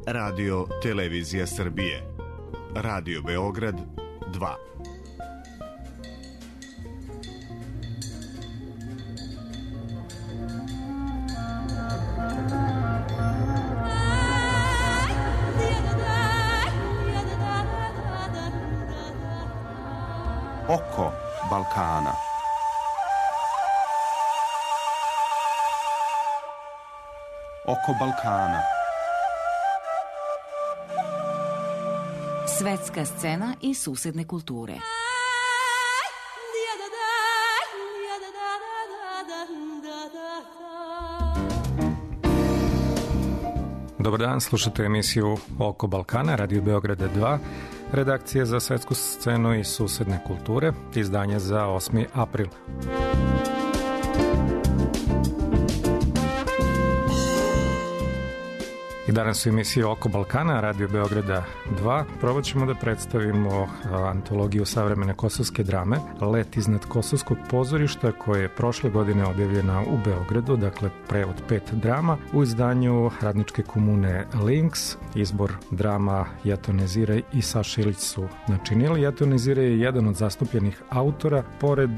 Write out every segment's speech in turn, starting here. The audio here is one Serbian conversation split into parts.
Radio Televizija Srbije. Radio Beograd 2. Oko Balkana. Oko Balkana. Svetska scena i susedne kulture. Dobar dan, slušate emisiju Oko Balkana, Radio Beograda 2, redakcija za svetsku scenu i susedne kulture, izdanje za 8. april. I danas u emisiji Oko Balkana, Radio Beograda 2, probat ćemo da predstavimo antologiju savremene kosovske drame Let iznad kosovskog pozorišta, koja je prošle godine objavljena u Beogradu, dakle prevod 5 drama u izdanju radničke komune Links. Izbor drama Jetone Zire i Saša Ilić su načinili. Jetone Zire je jedan od zastupljenih autora, pored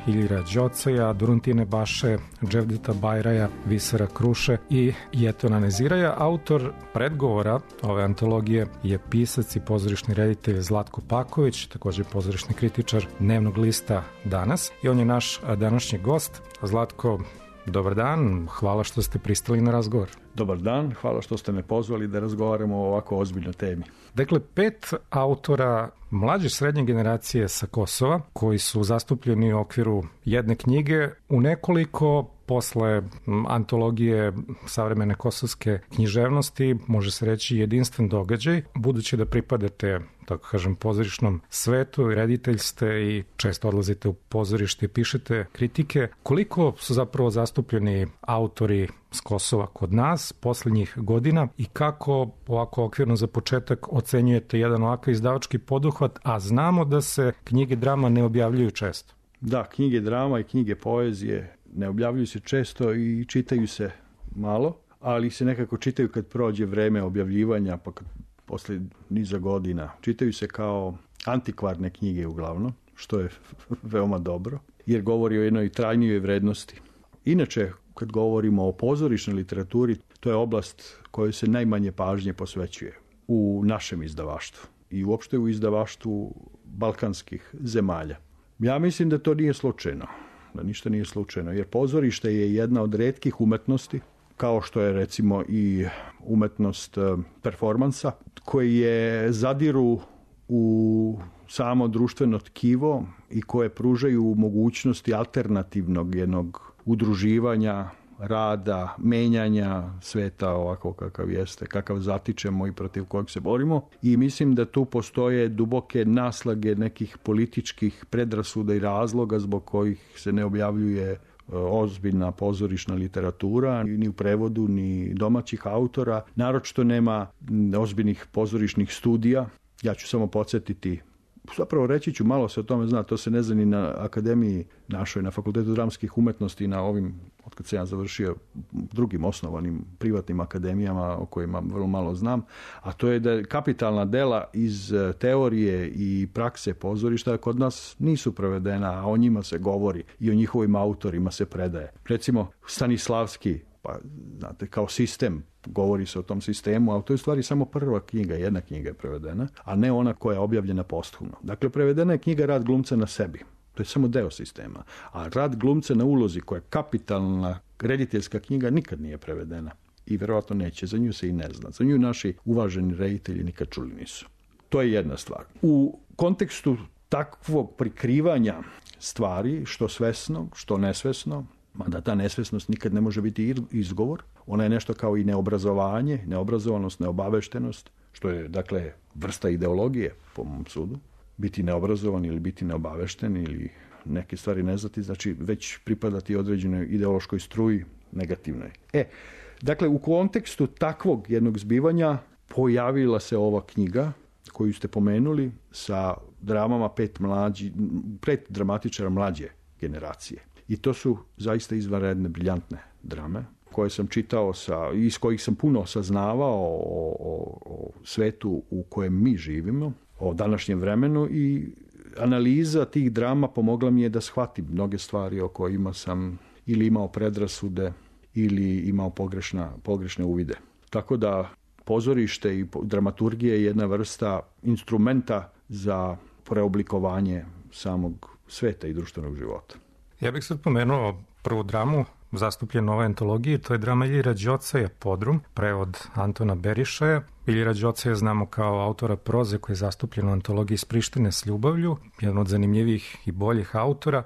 Iljira Đocaja, Duruntine Baše, Dževdeta Bajraja, Visara Kruše i Jetona Neziraja. Autor predgovora ove antologije je pisac i pozorišni reditelj Zlatko Paković, također pozorišni kritičar Dnevnog lista Danas, i on je naš današnji gost. Zlatko, dobar dan, hvala što ste pristali na razgovor. Dobar dan, hvala što ste me pozvali da razgovaramo o ovako ozbiljnoj temi. Dakle, 5 autora mlađe srednje generacije sa Kosova, koji su zastupljeni u okviru jedne knjige, u nekoliko posle antologije savremene kosovske književnosti, može se reći jedinstven događaj, budući da pripadate, tako kažem, pozorišnom svetu, reditelj ste i često odlazite u pozorište i pišete kritike. Koliko su zapravo zastupljeni autori s Kosova kod nas poslednjih godina i kako ovako okvirno za početak ocenjujete jedan ovakav izdavački poduhvat, a znamo da se knjige drama ne objavljuju često? Da, knjige drama i knjige poezije ne objavljuju se često i čitaju se malo, ali se nekako čitaju kad prođe vreme objavljivanja, pa kad posle niza godina. Čitaju se kao antikvarne knjige uglavnom, što je veoma dobro, jer govori o jednoj trajnijoj vrednosti. Inače, kad govorimo o pozorišnoj literaturi, to je oblast kojoj se najmanje pažnje posvećuje u našem izdavaštvu i uopšte u izdavaštvu balkanskih zemalja. Ja mislim da to nije slučajno, da ništa nije slučajno, jer pozorište je jedna od retkih umetnosti, kao što je recimo i umetnost performansa, koje zadiru u samo društveno tkivo i koje pružaju mogućnosti alternativnog jednog udruživanja, rada, menjanja sveta ovako kakav jeste, kakav zatičemo i protiv kojeg se borimo. I mislim da tu postoje duboke naslage nekih političkih predrasuda i razloga zbog kojih se ne objavljuje ozbiljna pozorišna literatura, ni u prevodu, ni domaćih autora. Naročito nema ozbiljnih pozorišnih studija. Ja ću samo podsjetiti, zapravo reći ću, malo se o tome zna, to se ne zna ni na akademiji našoj, na Fakultetu dramskih umetnosti i na ovim, otkad se ja završio, drugim osnovanim privatnim akademijama o kojima vrlo malo znam, a to je da kapitalna dela iz teorije i prakse pozorišta kod nas nisu prevedena, a o njima se govori i o njihovim autorima se predaje. Recimo Stanislavski, pa znate, kao sistem, govori se o tom sistemu, a to je u stvari samo prva knjiga, jedna knjiga je prevedena, a ne ona koja je objavljena posthumno. Dakle, prevedena je knjiga Rad glumca na sebi. To je samo deo sistema. A Rad glumca na ulozi, koja je kapitalna rediteljska knjiga, nikad nije prevedena. I verovatno neće. Za nju se i ne zna. Za nju naši uvaženi reditelji nikad čuli nisu. To je jedna stvar. U kontekstu takvog prikrivanja stvari, što svesno, što nesvesno, mada ta nesvesnost nikad ne može biti izgovor, ona je nešto kao i neobrazovanje, neobrazovanost, neobaveštenost, što je, dakle, vrsta ideologije, po mom sudu. Biti neobrazovan ili biti neobavešten ili neke stvari ne znati, znači već pripadati određenoj ideološkoj struji negativnoj. Dakle, u kontekstu takvog jednog zbivanja pojavila se ova knjiga koju ste pomenuli sa dramama 5 dramatičara mlađe generacije. I to su zaista izvanredne, briljantne drame koje sam čitao iz kojih sam puno saznavao svetu u kojem mi živimo, o današnjem vremenu, i analiza tih drama pomogla mi je da shvatim mnoge stvari o kojima sam ili imao predrasude ili imao pogrešne uvide. Tako da pozorište i dramaturgija je jedna vrsta instrumenta za preoblikovanje samog sveta i društvenog života. Ja bih sad pomenuo prvu dramu zastupljenu u ovoj antologiji, to je drama Iljira Đocaja Podrum, prevod Antona Berišaja. Iljira Đocaja znamo kao autora proze koji je zastupljen u antologiji Iz Prištine s ljubavlju, jedan od zanimljivih i boljih autora.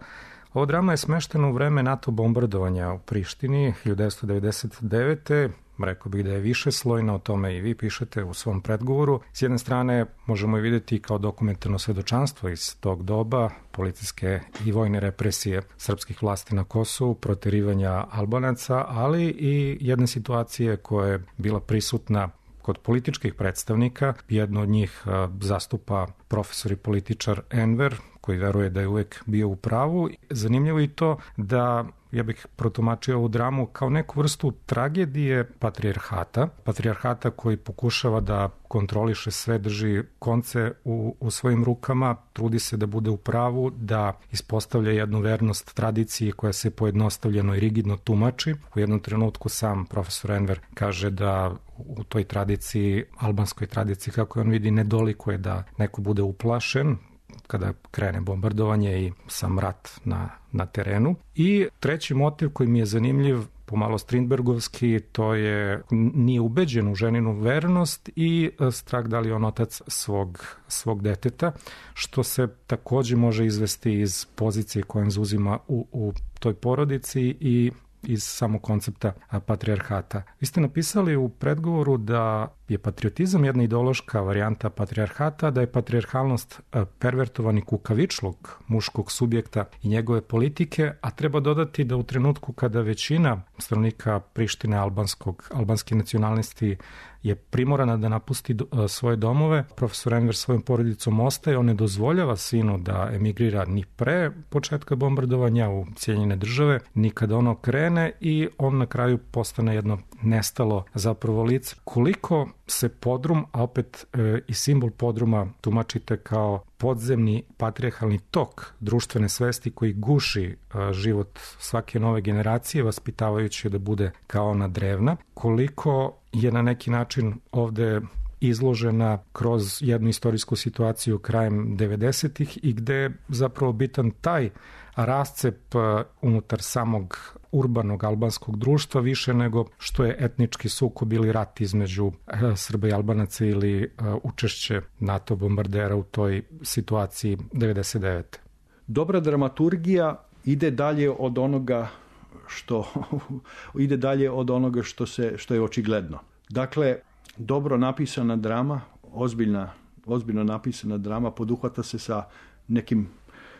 Ova drama je smeštena u vreme NATO bombardovanja u Prištini 1999. Rekao bih da je više slojna, o tome i vi pišete u svom predgovoru. S jedne strane možemo je vidjeti kao dokumentarno svedočanstvo iz tog doba, policijske i vojne represije srpskih vlasti na Kosovu, proterivanja Albanaca, ali i jedne situacije koja je bila prisutna kod političkih predstavnika. Jedno od njih zastupa profesor i političar Enver, koji veruje da je uvek bio u pravu. Zanimljivo je i to da ja bih protumačio ovu dramu kao neku vrstu tragedije patrijarhata koji pokušava da kontroliše sve, drži konce u svojim rukama, trudi se da bude u pravu, da ispostavlja jednu vernost tradiciji koja se pojednostavljeno i rigidno tumači. U jednom trenutku sam profesor Enver kaže da u toj tradiciji, albanskoj tradiciji, kako on vidi, nedolikuje da neko bude uplašen kada krene bombardovanje i sam rat na terenu. I treći motiv koji mi je zanimljiv, pomalo Strindbergovski, to je nije ubeđen u ženinu vernost i strah da li on otac svog deteta, što se takođe može izvesti iz pozicije koje on zauzima u toj porodici i iz samog koncepta patrijarhata. Vi ste napisali u predgovoru da je patriotizam jedna ideološka varijanta patrijarhata, da je patrijarhalnost pervertovani kukavičluk muškog subjekta i njegove politike, a treba dodati da u trenutku kada većina stanovnika Prištine albanski nacionalisti je primorana da napusti svoje domove, profesor Enver svojom porodicom ostaje, on ne dozvoljava sinu da emigrira ni pre početka bombardovanja u Sjedinjene Države, ni kada ono krene, i on na kraju postane jedno nestalo zapravo lice. Koliko se podrum, a opet i simbol podruma tumačite kao podzemni patrijarhalni tok društvene svesti koji guši život svake nove generacije, vaspitavajući da bude kao ona drevna, koliko je na neki način ovde izložena kroz jednu istorijsku situaciju krajem 90-ih i gde je zapravo bitan taj rascep unutar samog urbanog albanskog društva više nego što je etnički sukob ili rat između Srba i Albanaca ili učešće NATO bombardera u toj situaciji 99. Dobra dramaturgija ide dalje od onoga što je očigledno. Dakle, dobro napisana drama, ozbiljno napisana drama poduhvata se sa nekim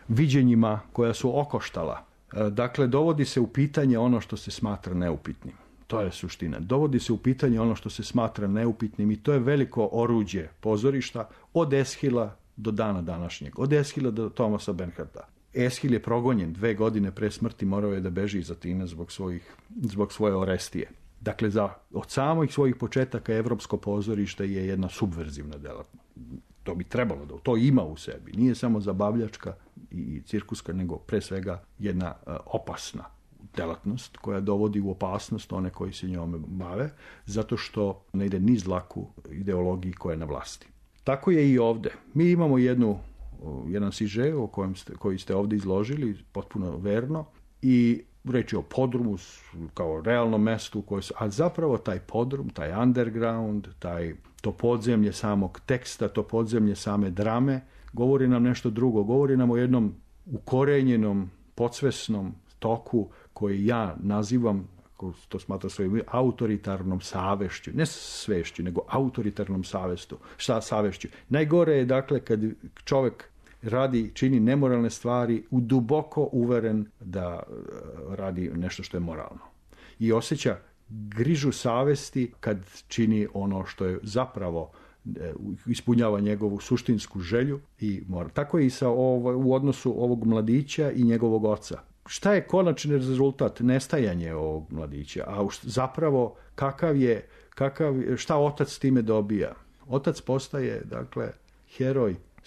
viđenjima koja su okoštala. Dakle, dovodi se u pitanje ono što se smatra neupitnim. To je suština. Dovodi se u pitanje ono što se smatra neupitnim i to je veliko oruđe pozorišta od Eshila do dana današnjeg. Od Eshila do Thomasa Bernharda. Eshil je progonjen 2 godine pre smrti, morao je da beži iz Atine zbog svoje Orestije. Dakle, od samih svojih početaka evropsko pozorište je jedna subverzivna delatnost. To bi trebalo da to ima u sebi. Nije samo zabavljačka i cirkuska, nego pre svega jedna opasna delatnost koja dovodi u opasnost one koji se njome bave, zato što ne ide niz dlaku ideologiji koja je na vlasti. Tako je i ovde. Mi imamo jedan siže koji ste ovde izložili, potpuno verno, i reč je o podrumu kao realnom mestu, a zapravo taj podrum, taj underground, to podzemlje samog teksta, to podzemlje same drame, govori nam nešto drugo. Govori nam o jednom ukorenjenom, podsvesnom toku koji ja nazivam, to smatra svojim autoritarnom savešću, ne svešću, nego autoritarnom savešću. Najgore je, dakle, kad čovek čini nemoralne stvari, duboko uveren da radi nešto što je moralno. I osjeća grižu savesti kad čini ono što je zapravo ispunjava njegovu suštinsku želju i mora. Tako je i u odnosu ovog mladića i njegovog oca. Šta je konačni rezultat? Nestajanje ovog mladića. A zapravo šta otac time dobija? Otac postaje, dakle,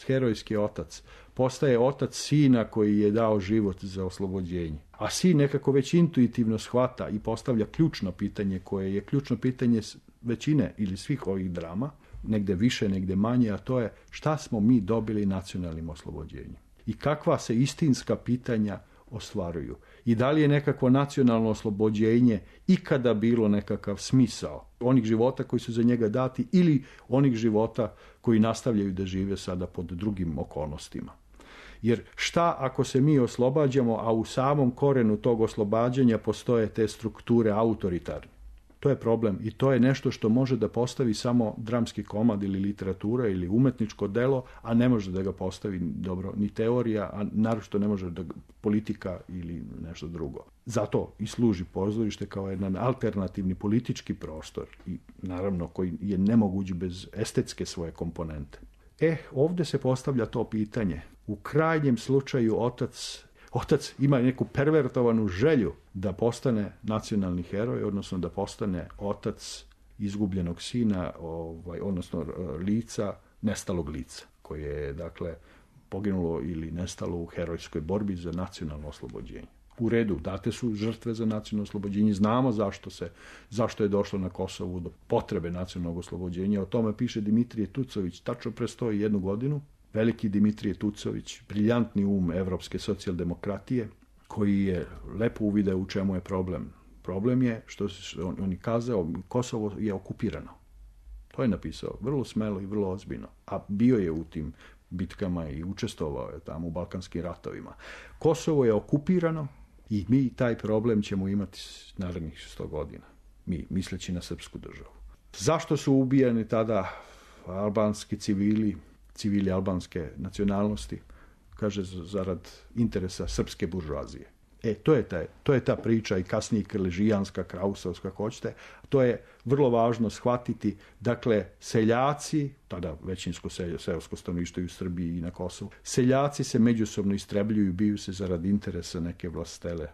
herojski otac. Postaje otac sina koji je dao život za oslobođenje. A sin nekako već intuitivno shvata i postavlja ključno pitanje koje je ključno pitanje većine ili svih ovih drama, negde više, negde manje, a to je šta smo mi dobili nacionalnim oslobođenjem. I kakva se istinska pitanja ostvaruju. I da li je nekakvo nacionalno oslobođenje ikada bilo nekakav smisao onih života koji su za njega dati ili onih života koji nastavljaju da žive sada pod drugim okolnostima. Jer šta ako se mi oslobađamo, a u samom korenu tog oslobađanja postoje te strukture autoritarne? To je problem i to je nešto što može da postavi samo dramski komad ili literatura ili umetničko delo, a ne može da ga postavi dobro ni teorija, a naročito ne može da politika ili nešto drugo. Zato i služi pozorište kao jedan alternativni politički prostor i naravno koji je nemoguć bez estetske svoje komponente. Ovdje se postavlja to pitanje. U krajnjem slučaju otac ima neku pervertovanu želju da postane nacionalni heroj, odnosno da postane otac izgubljenog sina, odnosno lica, nestalog lica, koje je, dakle, poginulo ili nestalo u herojskoj borbi za nacionalno oslobođenje. U redu, date su žrtve za nacionalno oslobođenje, znamo zašto je došlo na Kosovu do potrebe nacionalnog oslobođenja. O tome piše Dimitrije Tucović, tačno pre 101 godinu. Veliki Dimitrije Tucović, briljantni evropske socijaldemokratije, koji je lepo uvideo u čemu je problem. Problem je što on je kazao, Kosovo je okupirano. To je napisao, vrlo smelo i vrlo ozbiljno. A bio je u tim bitkama i učestvovao je tamo u Balkanskim ratovima. Kosovo je okupirano i mi taj problem ćemo imati narednih 100 godina. Mi, misleći na srpsku državu. Zašto su ubijani tada albanski civili albanske nacionalnosti? Kaže, zarad interesa srpske buržoazije. To je ta priča i kasnije krležijanska, krausovska, ako hoćete. To je vrlo važno shvatiti. Dakle, seljaci, tada većinsko seosko stanovništvo u Srbiji i na Kosovu, seljaci se međusobno istrebljuju i biju se zarad interesa neke vlastele,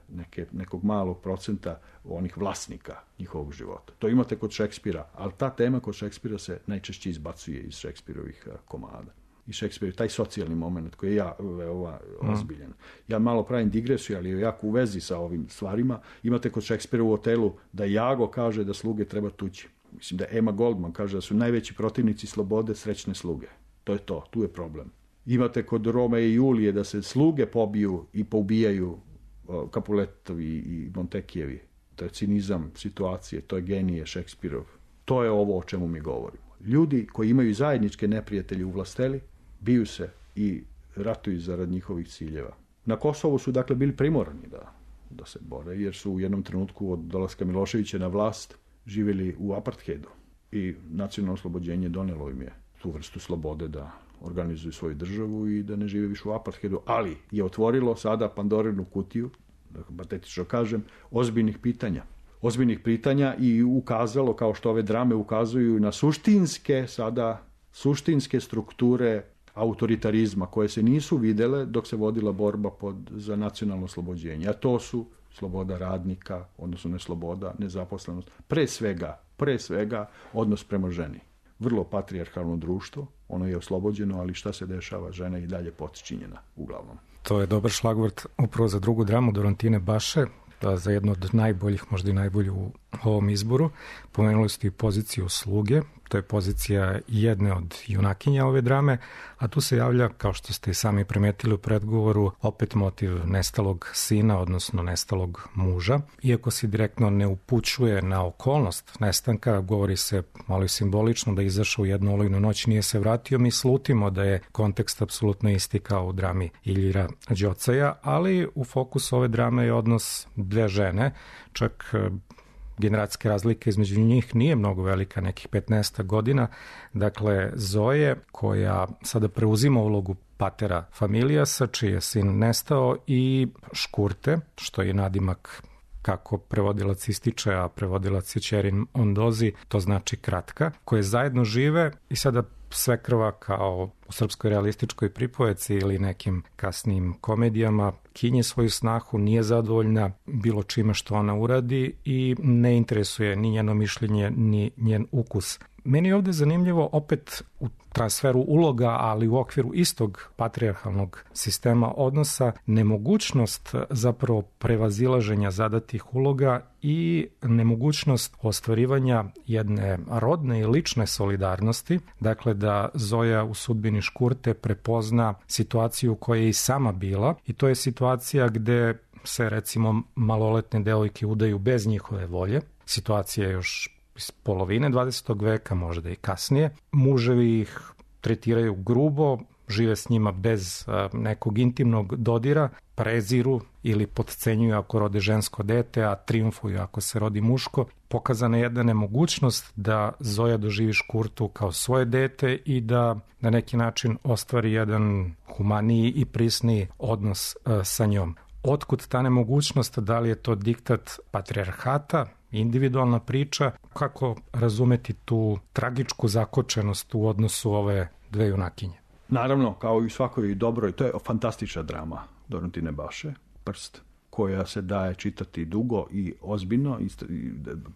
nekog malog procenta onih vlasnika njihovog života. To imate kod Šekspira, ali ta tema kod Šekspira se najčešće izbacuje iz Šekspirovih komada. I Šekspir, taj socijalni moment koji je veoma ozbiljan. Ja malo pravim digresiju, ali je jako u vezi sa ovim stvarima. Imate kod Šekspira u Otelu da Jago kaže da sluge treba tući. Mislim da Emma Goldman kaže da su najveći protivnici slobode srećne sluge. To je to, tu je problem. Imate kod Rome i Julije da se sluge pobiju i poubijaju Capuletovi i Montekijevi. To je cinizam situacije, to je genije Šekspirov. To je ovo o čemu mi govorimo. Ljudi koji imaju zajedničke neprijatelje u vlasteli, biju se i ratuju zarad njihovih ciljeva. Na Kosovu su dakle bili primorani da se bore, jer su u jednom trenutku od dolaska Miloševića na vlast živjeli u apartheidu. I nacionalno oslobođenje donelo im je tu vrstu slobode da organizuju svoju državu i da ne žive više u apartheidu, ali je otvorilo sada Pandorinu kutiju, da patetično kažem, ozbiljnih pitanja i ukazalo, kao što ove drame ukazuju, na suštinske strukture autoritarizma koje se nisu videle dok se vodila borba za nacionalno oslobođenje. A to su sloboda radnika, odnosno nesloboda, nezaposlenost, pre svega odnos prema ženi. Vrlo patrijarhalno društvo, ono je oslobođeno, ali šta se dešava, žena je i dalje potčinjena uglavnom. To je dobar šlagvort upravo za drugu dramu Dorotine Baše, za jednu od najboljih, možda i najbolju u ovom izboru. Pomenuli ste i poziciju sluge, to je pozicija jedne od junakinja ove drame, a tu se javlja, kao što ste i sami primetili u predgovoru, opet motiv nestalog sina, odnosno nestalog muža. Iako se direktno ne upućuje na okolnost nestanka, govori se malo i simbolično da je izašao u jednu olujnu noć, nije se vratio, mi slutimo da je kontekst apsolutno isti kao u drami Iljira Đocaja, ali u fokusu ove drame je odnos dve žene, čak generacijske razlike između njih nije mnogo velika, nekih 15 godina. Dakle, Zoje, koja sada preuzima ulogu patera familijasa, čiji je sin nestao, i Škurte, što je nadimak kako prevodilac ističe, a prevodilac je Ćerin Ondozi, to znači kratka, koje zajedno žive i sada svekrva, kao u srpskoj realističkoj pripovedci ili nekim kasnijim komedijama, kinje svoju snahu, nije zadovoljna bilo čime što ona uradi i ne interesuje ni njeno mišljenje, ni njen ukus. Meni je ovde zanimljivo opet u transferu uloga, ali u okviru istog patrijarhalnog sistema odnosa, nemogućnost zapravo prevazilaženja zadatih uloga i nemogućnost ostvarivanja jedne rodne i lične solidarnosti, dakle da Zoja u sudbini Škurte prepozna situaciju koja je i sama bila, i to je situacija gde se recimo maloletne devojke udaju bez njihove volje, situacija je još iz polovine 20. veka, možda i kasnije. Muževi ih tretiraju grubo, žive s njima bez nekog intimnog dodira, preziru ili potcenjuju ako rode žensko dete, a triumfuju ako se rodi muško. Pokazana je jedna nemogućnost da Zoja doživi Škurtu kao svoje dete i da na neki način ostvari jedan humaniji i prisniji odnos sa njom. Otkud ta nemogućnost, da li je to diktat patrijarhata, individualna priča, kako razumeti tu tragičku zakočenost u odnosu ove dve junakinje? Naravno, kao i u svakoj dobroj, to je fantastična drama Dorontine Baše, Prst, koja se daje čitati dugo i ozbiljno,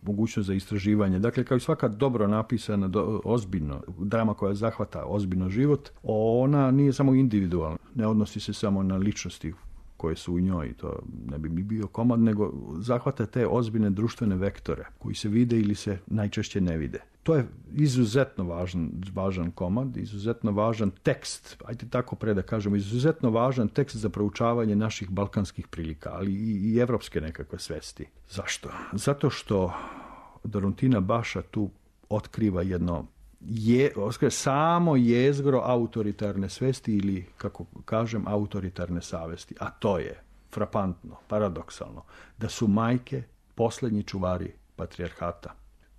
mogućnost za istraživanje. Dakle, kao i svaka dobro napisana, ozbiljno, drama koja zahvata ozbiljno život, ona nije samo individualna, ne odnosi se samo na ličnosti koje su u njoj, to ne bi mi bio komad, nego zahvata te ozbiljne društvene vektore koji se vide ili se najčešće ne vide. To je izuzetno važan komad, izuzetno važan tekst, ajde tako da kažemo, izuzetno važan tekst za proučavanje naših balkanskih prilika, ali i evropske nekakve svesti. Zašto? Zato što Dorontina Baša tu otkriva jedno samo jezgro autoritarne svesti ili, kako kažem, autoritarne savesti. A to je frapantno, paradoksalno, da su majke poslednji čuvari patrijarhata.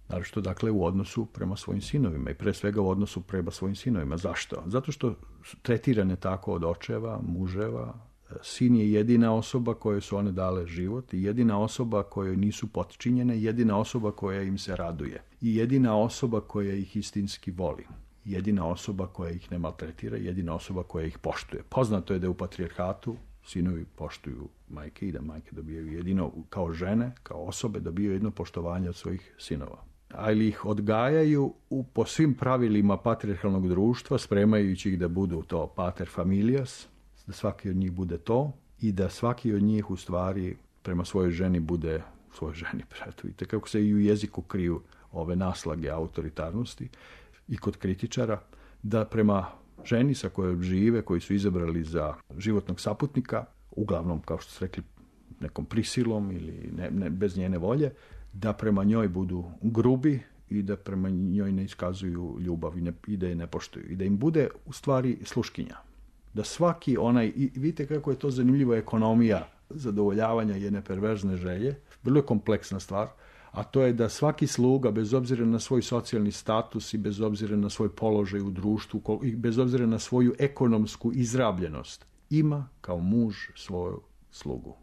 Naravno, dakle, u odnosu prema svojim sinovima i pre svega u odnosu prema svojim sinovima. Zašto? Zato što su tretirane tako od očeva, muževa. Sin je jedina osoba kojoj su one dale život i jedina osoba kojoj nisu potčinjene, jedina osoba koja im se raduje i jedina osoba koja ih istinski voli, jedina osoba koja ih ne maltretira, jedina osoba koja ih poštuje. Poznato je da u patrijarhatu sinovi poštuju majke i da majke dobijaju jedino, kao žene, kao osobe, dobijaju jedno poštovanje od svojih sinova. Ali ih odgajaju po svim pravilima patrijarhalnog društva, spremajući ih da budu to pater familias, da svaki od njih bude to i da svaki od njih u stvari prema svojoj ženi bude svojoj ženi. Vidite kako se i u jeziku kriju ove naslage autoritarnosti i kod kritičara, da prema ženi sa kojom žive, koji su izabrali za životnog saputnika, uglavnom, kao što su rekli, nekom prisilom ili ne, bez njene volje, da prema njoj budu grubi i da prema njoj ne iskazuju ljubav i da je ne poštuju. I da im bude u stvari sluškinja. Da svaki onaj, i vidite kako je to zanimljiva ekonomija zadovoljavanja jedne perverzne želje, vrlo je kompleksna stvar, a to je da svaki sluga, bez obzira na svoj socijalni status i bez obzira na svoj položaj u društvu i bez obzira na svoju ekonomsku izrabljenost, ima kao muž svoju slugu.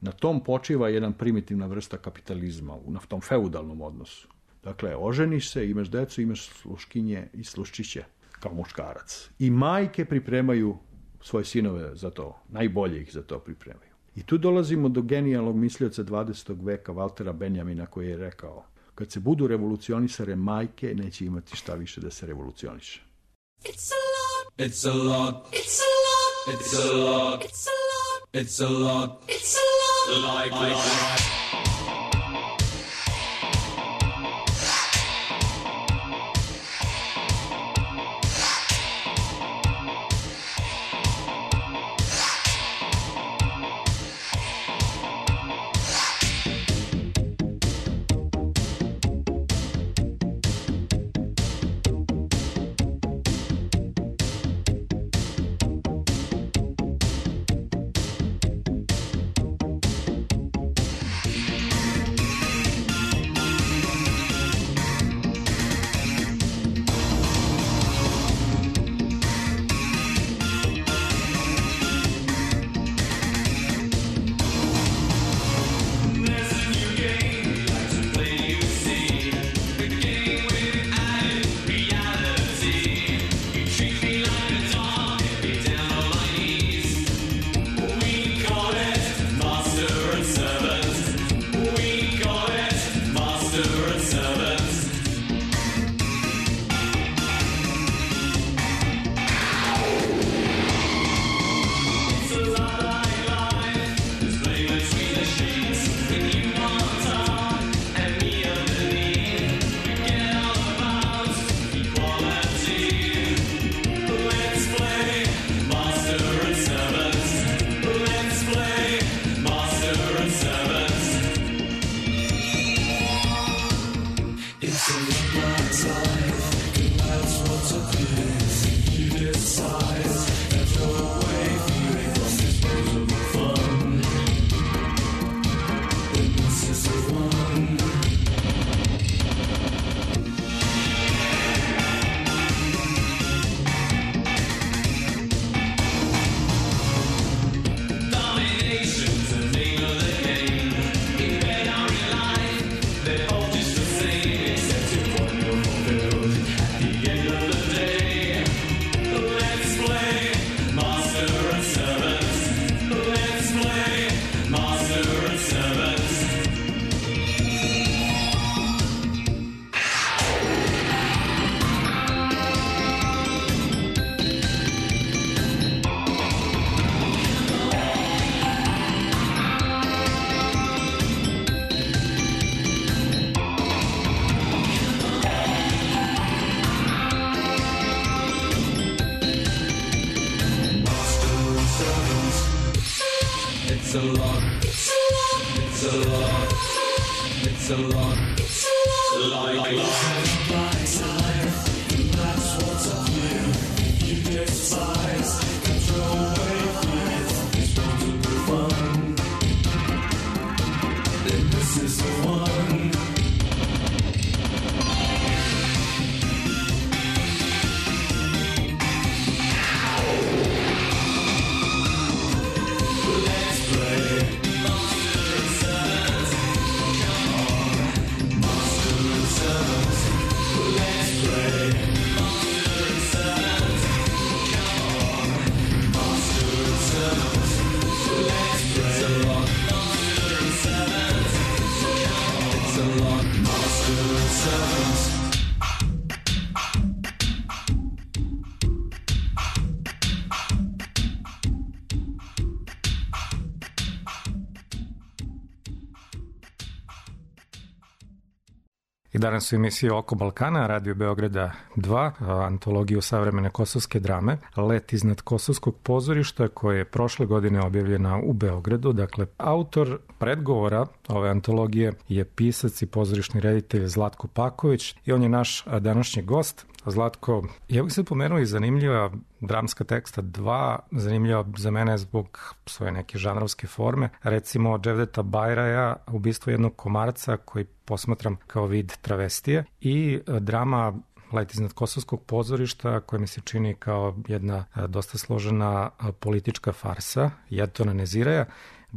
Na tom počiva jedan primitivna vrsta kapitalizma, na tom feudalnom odnosu. Dakle, oženiš se, imaš decu, imaš sluškinje i sluščiće kao muškarac. I majke pripremaju svoje sinove za to, najbolje ih za to pripremaju. I tu dolazimo do genijalnog mislioca 20. veka Valtera Benjamina koji je rekao: kad se budu revolucionisare majke, neće imati šta više da se revolucioniše. It's a lot. It's a lot. It's a lot. It's a lot. It's a lot. It's a lot. It's a lot. Like that. It's a lot. It's a lot. It's a lot. It's a lot. It's a lot. Like life. That's what's up here. You despise. Throw away fear. It's going to be fun. Then this is the one. I danas u emisiji Oko Balkana, Radio Beograda 2, antologiju savremene kosovske drame, Let iznad kosovskog pozorišta, koja je prošle godine objavljena u Beogradu. Dakle, autor predgovora ove antologije je pisac i pozorišni reditelj Zlatko Paković i on je naš današnji gost. Zlatko, ja bih se pomenuo i zanimljiva dramska teksta 2, zanimljiva za mene zbog svoje neke žanrovske forme. Recimo Cevdeta Bajraja, Ubistvo jednog komarca, koji posmatram kao vid travestije, i drama Let iznad kosovskog pozorišta, koja mi se čini kao jedna dosta složena politička farsa Jetona Neziraja.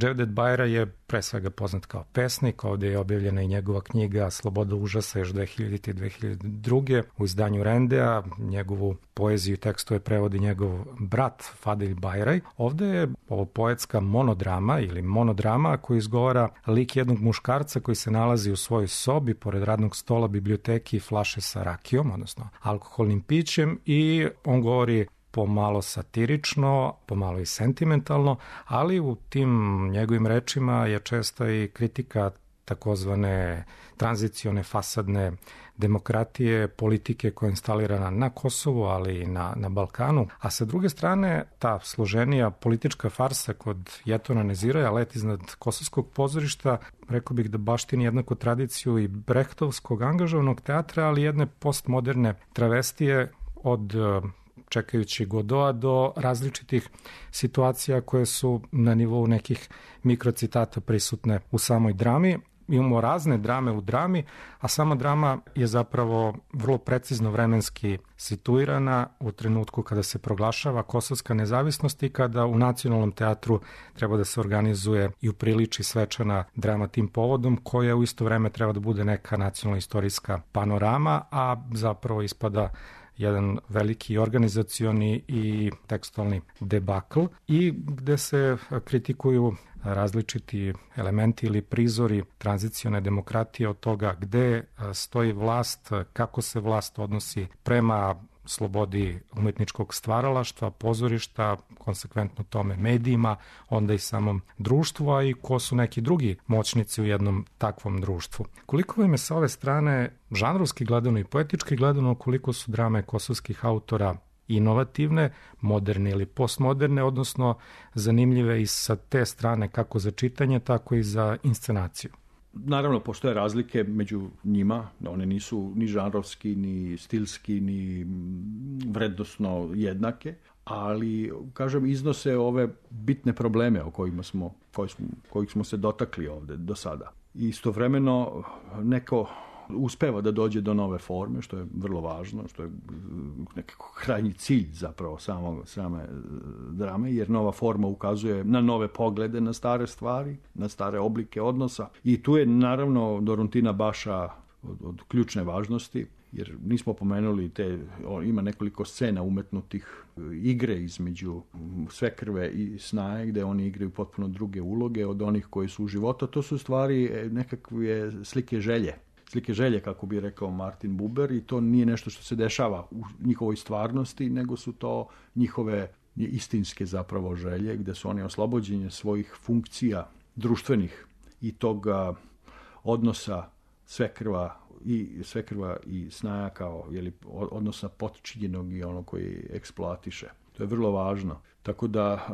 Cevdet Bajra je pre svega poznat kao pesnik, ovdje je objavljena i njegova knjiga Sloboda užasa još 2000. i 2002. u izdanju Rendea, njegovu poeziju i tekstove prevodi njegov brat Fadil Bajraj. Ovdje je ovo poetska monodrama ili monodrama koji izgovara lik jednog muškarca koji se nalazi u svojoj sobi pored radnog stola, biblioteki i flaše sa rakijom, odnosno alkoholnim pićem, i on govori pomalo satirično, pomalo i sentimentalno, ali u tim njegovim rečima je česta i kritika takozvane tranzicione fasadne demokratije, politike koja je instalirana na Kosovu, ali i na Balkanu. A sa druge strane, ta složenija politička farsa kod Jetona Neziraja, Let iznad kosovskog pozorišta, rekao bih da baštini jednako tradiciju i brehtovskog angažovanog teatra, ali jedne postmoderne travestije od čekajući Godoa do različitih situacija koje su na nivou nekih mikrocitata prisutne u samoj drami. Imamo razne drame u drami, a sama drama je zapravo vrlo precizno vremenski situirana u trenutku kada se proglašava kosovska nezavisnost i kada u Nacionalnom teatru treba da se organizuje i upriliči svečana drama tim povodom, koja u isto vreme treba da bude neka nacionalna istorijska panorama, a zapravo ispada jedan veliki organizacioni i tekstualni debakl, i gde se kritikuju različiti elementi ili prizori tranzicione demokratije, od toga gde stoji vlast, kako se vlast odnosi prema slobodi umetničkog stvaralaštva, pozorišta, konsekventno tome medijima, onda i samom društvu, a i ko su neki drugi moćnici u jednom takvom društvu. Koliko vam je sa ove strane, žanrovski gledano i poetički gledano, koliko su drame kosovskih autora inovativne, moderne ili postmoderne, odnosno zanimljive i sa te strane kako za čitanje, tako i za inscenaciju? Naravno, postoje razlike među njima, one nisu ni žanrovski, ni stilski, ni vrednosno jednake, ali, kažem, iznose ove bitne probleme o kojih smo se dotakli ovde do sada. Istovremeno neko uspeva da dođe do nove forme, što je vrlo važno, što je nekako krajnji cilj zapravo same drame, jer nova forma ukazuje na nove poglede, na stare stvari, na stare oblike odnosa. I tu je naravno Doruntina Baša od ključne važnosti, jer nismo pomenuli ima nekoliko scena umetnutih igre između Svekrve i Snaje, gde oni igraju potpuno druge uloge od onih koji su u životu. To su stvari nekakve slike želje, kako bi rekao Martin Buber, i to nije nešto što se dešava u njihovoj stvarnosti, nego su to njihove istinske zapravo želje, gde su oni oslobođeni svojih funkcija društvenih i toga odnosa Svekrva i Snaja kao odnosa potčinjenog i ono koji eksploatiše. To je vrlo važno. Tako da,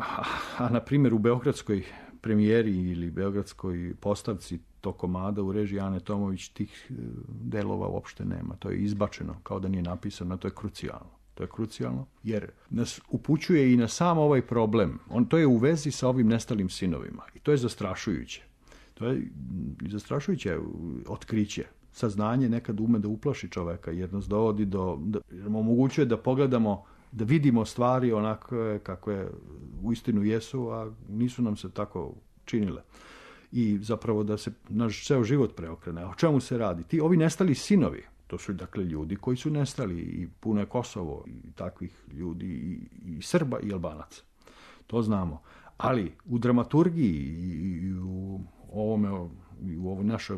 a na primjer u beogradskoj premijeri ili beogradskoj postavci tog komada u režiji Ane Tomović tih delova uopšte nema. To je izbačeno, kao da nije napisano, to je krucijalno. To je krucijalno, jer nas upućuje i na sam ovaj problem. To je u vezi sa ovim nestalim sinovima. I to je zastrašujuće. To je zastrašujuće otkriće. Saznanje nekad ume da uplaši čoveka, jer nas dovodi jer nam omogućuje da pogledamo, da vidimo stvari onako kakve uistinu jesu, a nisu nam se tako činile. I zapravo da se naš ceo život preokrene. O čemu se radi? Ovi nestali sinovi, to su dakle ljudi koji su nestali, i puno je Kosovo i takvih ljudi, i Srba i Albanaca. To znamo. Ali u dramaturgiji i u ovoj našoj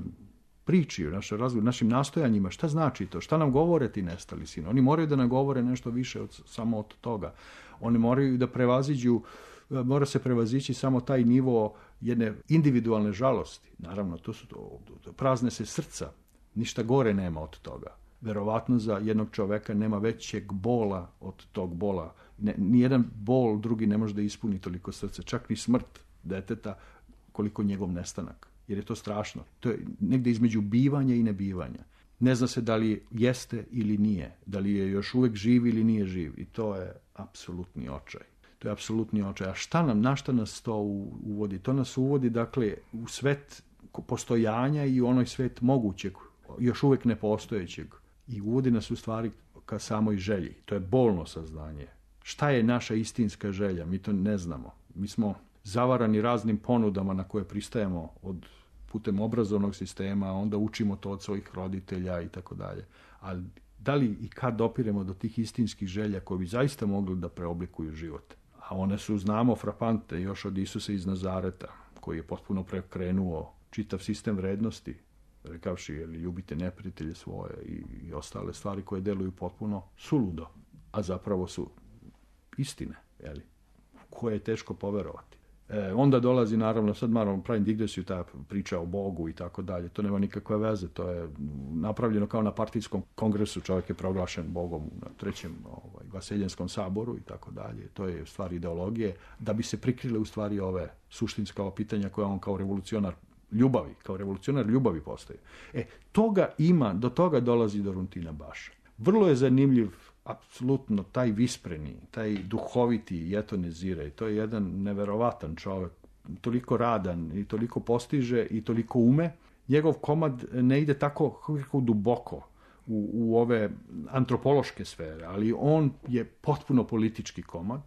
priči, u našoj razgovoru, našim nastojanjima, šta znači to? Šta nam govore ti nestali sinovi? Oni moraju da nam govore nešto više samo od toga. Oni moraju da mora se prevazići samo taj nivo jedne individualne žalosti. Naravno, prazne se srca. Ništa gore nema od toga. Verovatno za jednog čoveka nema većeg bola od tog bola. Nijedan bol drugi ne može da ispuni toliko srce. Čak ni smrt deteta koliko njegov nestanak. Jer je to strašno. To je negde između bivanja i nebivanja. Ne zna se da li jeste ili nije. Da li je još uvek živ ili nije živ. I to je apsolutni očaj. To je apsolutni očaj. A na šta nas to uvodi? To nas uvodi, dakle, u svet postojanja i u onoj svet mogućeg, još uvek nepostojećeg. I uvodi nas u stvari ka samoj želji. To je bolno saznanje. Šta je naša istinska želja? Mi to ne znamo. Mi smo zavarani raznim ponudama na koje pristajemo putem obrazovnog sistema, onda učimo to od svojih roditelja i tako dalje. Ali da li i kad dopiremo do tih istinskih želja koje bi zaista mogli da preoblikuju život? A one su, znamo, frapante još od Isusa iz Nazareta, koji je potpuno prekrenuo čitav sistem vrednosti, rekavši, ljubite neprijatelje svoje i ostale stvari koje deluju potpuno suludo, a zapravo su istine, koje je teško poverovati. Onda dolazi, naravno, sad pravim digresiju, ta priča o Bogu i tako dalje. To nema nikakve veze, to je napravljeno kao na partijskom kongresu, čovjek je proglašen Bogom na trećem Vaseljenskom saboru i tako dalje. To je stvar ideologije, da bi se prikrile u stvari ove suštinska pitanja koje on kao revolucionar ljubavi postoji. Toga ima, do toga dolazi do Runtina Baša. Vrlo je zanimljiv apsolutno taj vispreni, taj duhoviti Jetone Zire. To je jedan neverovatan čovjek, toliko radan i toliko postiže i toliko ume. Njegov komad ne ide tako duboko u ove antropološke sfere, ali on je potpuno politički komad,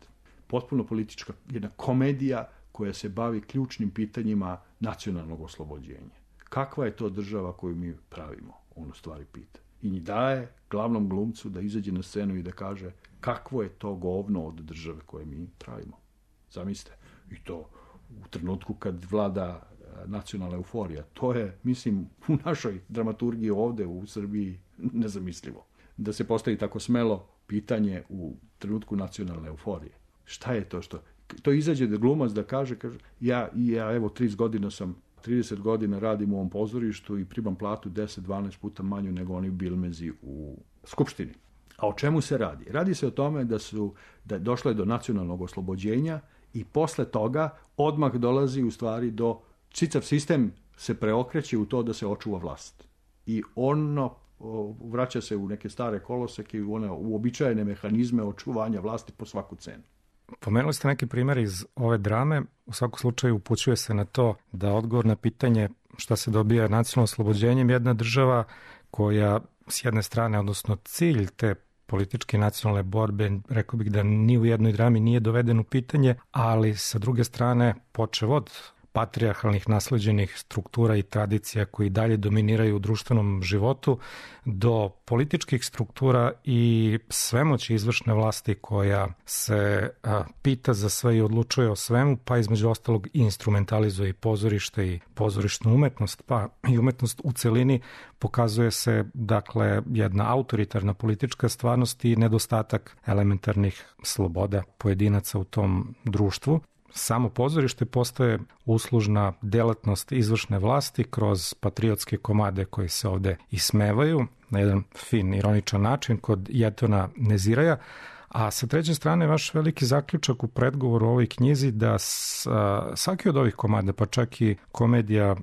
potpuno politička jedna komedija koja se bavi ključnim pitanjima nacionalnog oslobođenja. Kakva je to država koju mi pravimo? On u stvari pita. I njih daje glavnom glumcu da izađe na scenu i da kaže kakvo je to govno od države koje mi pravimo. Zamislite. I to u trenutku kad vlada nacionalna euforija. To je, mislim, u našoj dramaturgiji ovde u Srbiji nezamislivo. Da se postavi tako smelo pitanje u trenutku nacionalne euforije. Šta je to što... To izađe da glumac da kaže ja evo 30 godina radim u ovom pozorištu i primam platu 10-12 puta manju nego oni bilmezi u Skupštini. A o čemu se radi? Radi se o tome da došlo je do nacionalnog oslobođenja i posle toga odmah dolazi u stvari do... Čitav sistem se preokreće u to da se očuva vlast. I ono vraća se u neke stare koloseke i u one uobičajene mehanizme očuvanja vlasti po svaku cenu. Pomenuli ste neki primjer iz ove drame. U svakom slučaju upućuje se na to da odgovor na pitanje šta se dobija nacionalno oslobođenjem, jedna država koja s jedne strane, odnosno cilj te političke nacionalne borbe, rekao bih da ni u jednoj drami nije doveden u pitanje, ali sa druge strane počev od patrijarhalnih nasleđenih struktura i tradicija koji dalje dominiraju u društvenom životu do političkih struktura i svemoći izvršne vlasti koja se pita za sve i odlučuje o svemu, pa između ostalog instrumentalizuje i pozorište i pozorišnu umetnost, pa i umetnost u celini. Pokazuje se, dakle, jedna autoritarna politička stvarnost i nedostatak elementarnih sloboda pojedinaca u tom društvu. Samo pozorište postaje uslužna delatnost izvršne vlasti kroz patriotske komade koji se ovde ismevaju na jedan fin, ironičan način kod Jetona Neziraja, A sa treće strane, vaš veliki zaključak u predgovoru o ovoj knjizi da svaki od ovih komada, pa čak i komedija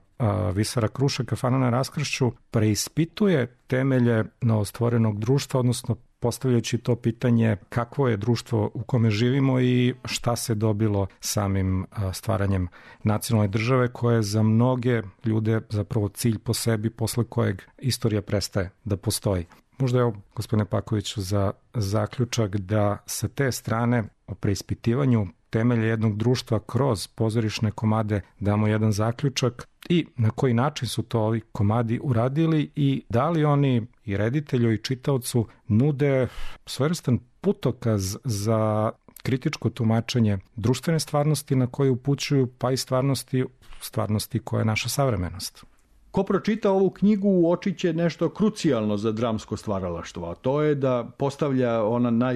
Visara Kruše, Kafana na raskršću, preispituje temelje novostvorenog društva, odnosno postavljajući to pitanje kakvo je društvo u kome živimo i šta se dobilo samim stvaranjem nacionalne države, koja je za mnoge ljude zapravo cilj po sebi, posle kojeg istorija prestaje da postoji. Možda je ovo, gospodine Pakoviću, za zaključak da sa te strane o preispitivanju temelje jednog društva kroz pozorišne komade damo jedan zaključak i na koji način su to ovi komadi uradili i da li oni i reditelju i čitaocu nude svojevrstan putokaz za kritičko tumačenje društvene stvarnosti na koje upućuju, pa i stvarnosti koja je naša savremenost. Ko pročita ovu knjigu uočiće nešto krucijalno za dramsko stvaralaštvo, a to je da postavlja ona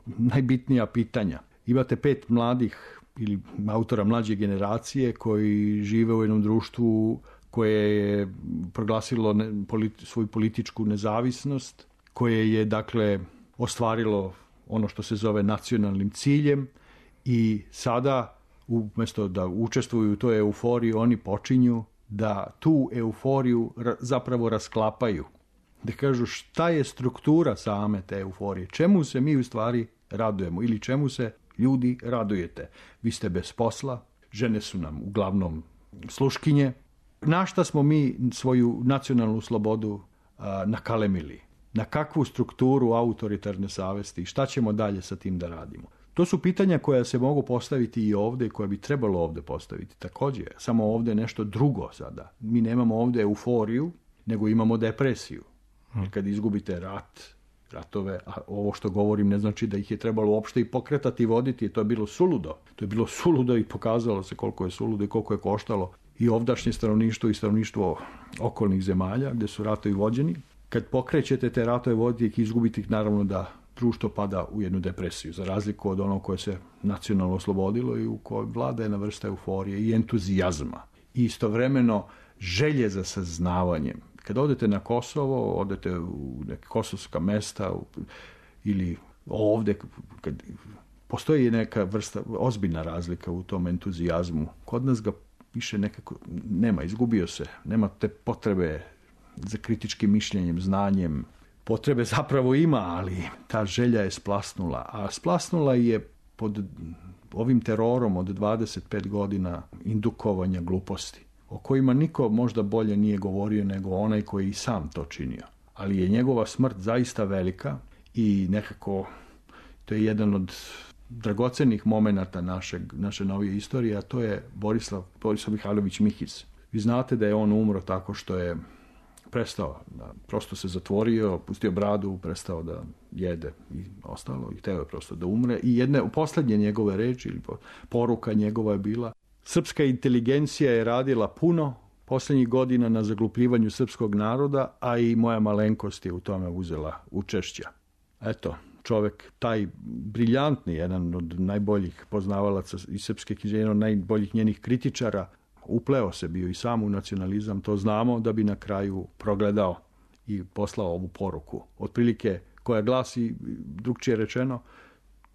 najbitnija pitanja. Imate 5 mladih ili autora mlađe generacije koji žive u jednom društvu koje je proglasilo svoju političku nezavisnost, koje je dakle ostvarilo ono što se zove nacionalnim ciljem i sada umjesto da učestvuju u toj euforiji, oni počinju da tu euforiju zapravo rasklapaju. Da kažu šta je struktura same te euforije, čemu se mi u stvari radujemo ili čemu se ljudi radujete. Vi ste bez posla, žene su nam uglavnom sluškinje. Na šta smo mi svoju nacionalnu slobodu nakalemili? Na kakvu strukturu autoritarne savesti? Šta ćemo dalje sa tim da radimo? To su pitanja koja se mogu postaviti i ovdje i koja bi trebalo ovdje postaviti. Također, samo ovdje je nešto drugo sada. Mi nemamo ovdje euforiju, nego imamo depresiju. Kad izgubite ratove, a ovo što govorim ne znači da ih je trebalo uopšte i pokretati i voditi, to je bilo suludo. To je bilo suludo i pokazalo se koliko je suludo i koliko je koštalo i ovdašnje stanovništvo i stanovništvo okolnih zemalja gdje su ratovi vođeni. Kad pokrećete te ratove voditi ih, izgubiti ih, naravno da društvo pada u jednu depresiju, za razliku od onog koje se nacionalno oslobodilo i u kojoj vlada jedna vrsta euforije i entuzijazma. I istovremeno želje za saznavanjem. Kad odete na Kosovo, odete u neke kosovska mesta ili ovdje, kad postoji neka vrsta, ozbiljna razlika u tom entuzijazmu. Kod nas ga više nekako nema, izgubio se. Nema te potrebe za kritičkim mišljenjem, znanjem. Potrebe zapravo ima, ali ta želja je splasnula. A splasnula je pod ovim terorom od 25 godina indukovanja gluposti, o kojima niko možda bolje nije govorio nego onaj koji i sam to činio. Ali je njegova smrt zaista velika i nekako to je jedan od dragocenih momenata naše novije istorije, a to je Borislav Mihajlović Mihiz. Vi znate da je on umro tako što je prestao, prosto se zatvorio, pustio bradu, prestao da jede i ostalo i hteo je prosto da umre. I posljednje njegove reči ili poruka njegova je bila: srpska inteligencija je radila puno posljednjih godina na zaglupljivanju srpskog naroda, a i moja malenkost je u tome uzela učešća. Eto, čovjek, taj briljantni, jedan od najboljih poznavalaca iz srpske književnosti, jedan od najboljih njenih kritičara, upleo se bio i sam u nacionalizam, to znamo, da bi na kraju progledao i poslao ovu poruku. Otprilike koja glasi, drugčije rečeno,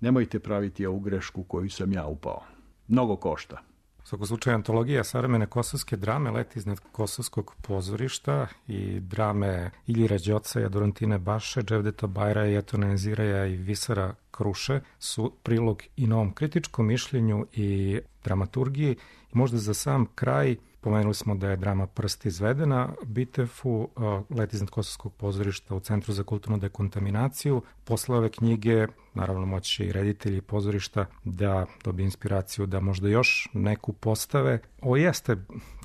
nemojte praviti ovu grešku koju sam ja upao. Mnogo košta. U svakom slučaju, antologija savremene kosovske drame leti iznad kosovskog pozorišta i drame Iljira Đocaja, Dorantine Baše, Dževdeta Bajraja, Jetona Enziraja i Visara Kruše su prilog i novom kritičkom mišljenju i dramaturgiji. I možda za sam kraj, pomenuli smo da je drama Prst izvedena Bitefu, leti iznad kosovskog pozorišta u Centru za kulturnu dekontaminaciju. Posle ove knjige, naravno, moći i reditelji pozorišta da dobije inspiraciju da možda još neku postave. Ovo jeste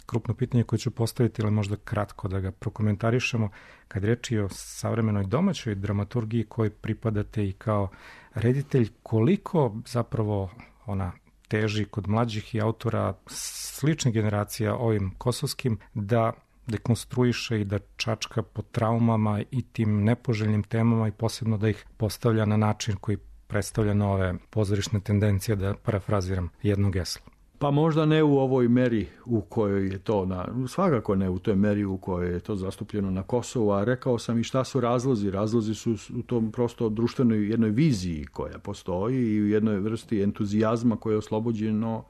krupno pitanje koje ću postaviti, ali možda kratko da ga prokomentarišemo. Kad reči o savremenoj domaćoj dramaturgiji koji pripadate i kao reditelj, koliko zapravo ona teži kod mlađih i autora sličnih generacija ovim kosovskim da dekonstruiše i da čačka po traumama i tim nepoželjnim temama i posebno da ih postavlja na način koji predstavlja nove pozorišne tendencije, da parafraziram jednu geslu. Pa možda ne u ovoj meri u kojoj je to, svakako ne u toj meri u kojoj je to zastupljeno na Kosovu, a rekao sam i šta su razlozi. Razlozi su u tom prosto društvenoj jednoj viziji koja postoji i u jednoj vrsti entuzijazma koja je oslobođeno,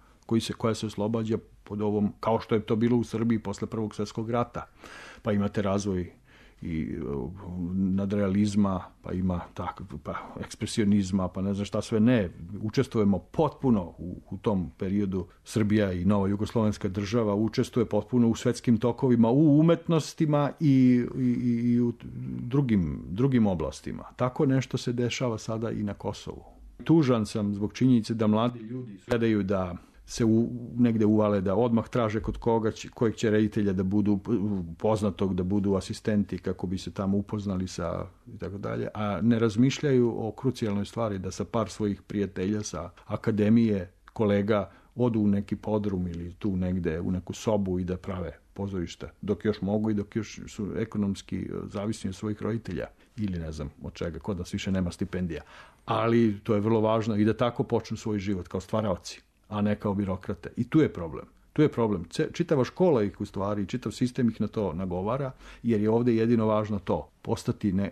koja se oslobađa pod ovom, kao što je to bilo u Srbiji posle Prvog svjetskog rata. Pa imate razvoj i nadrealizma, pa ima ekspresionizma, pa ne znam šta sve ne. Učestvujemo potpuno u tom periodu. Srbija i nova jugoslovenska država učestvuje potpuno u svetskim tokovima, u umetnostima i u drugim oblastima. Tako nešto se dešava sada i na Kosovu. Tužan sam zbog činjenice da mladi ljudi gledaju da se negde uvale, da odmah traže kod kojeg će reditelja da budu poznatog, da budu asistenti kako bi se tamo upoznali sa i tako dalje, a ne razmišljaju o krucijalnoj stvari da sa par svojih prijatelja sa akademije, kolega odu u neki podrum ili tu negde u neku sobu i da prave pozorišta dok još mogu i dok još su ekonomski zavisni od svojih roditelja ili ne znam od čega, kod nas više nema stipendija. Ali to je vrlo važno i da tako počnu svoj život kao stvaraoci, a ne kao birokrate. I tu je problem. Tu je problem. Čitava škola ih u stvari, čitav sistem ih na to nagovara, jer je ovdje jedino važno to,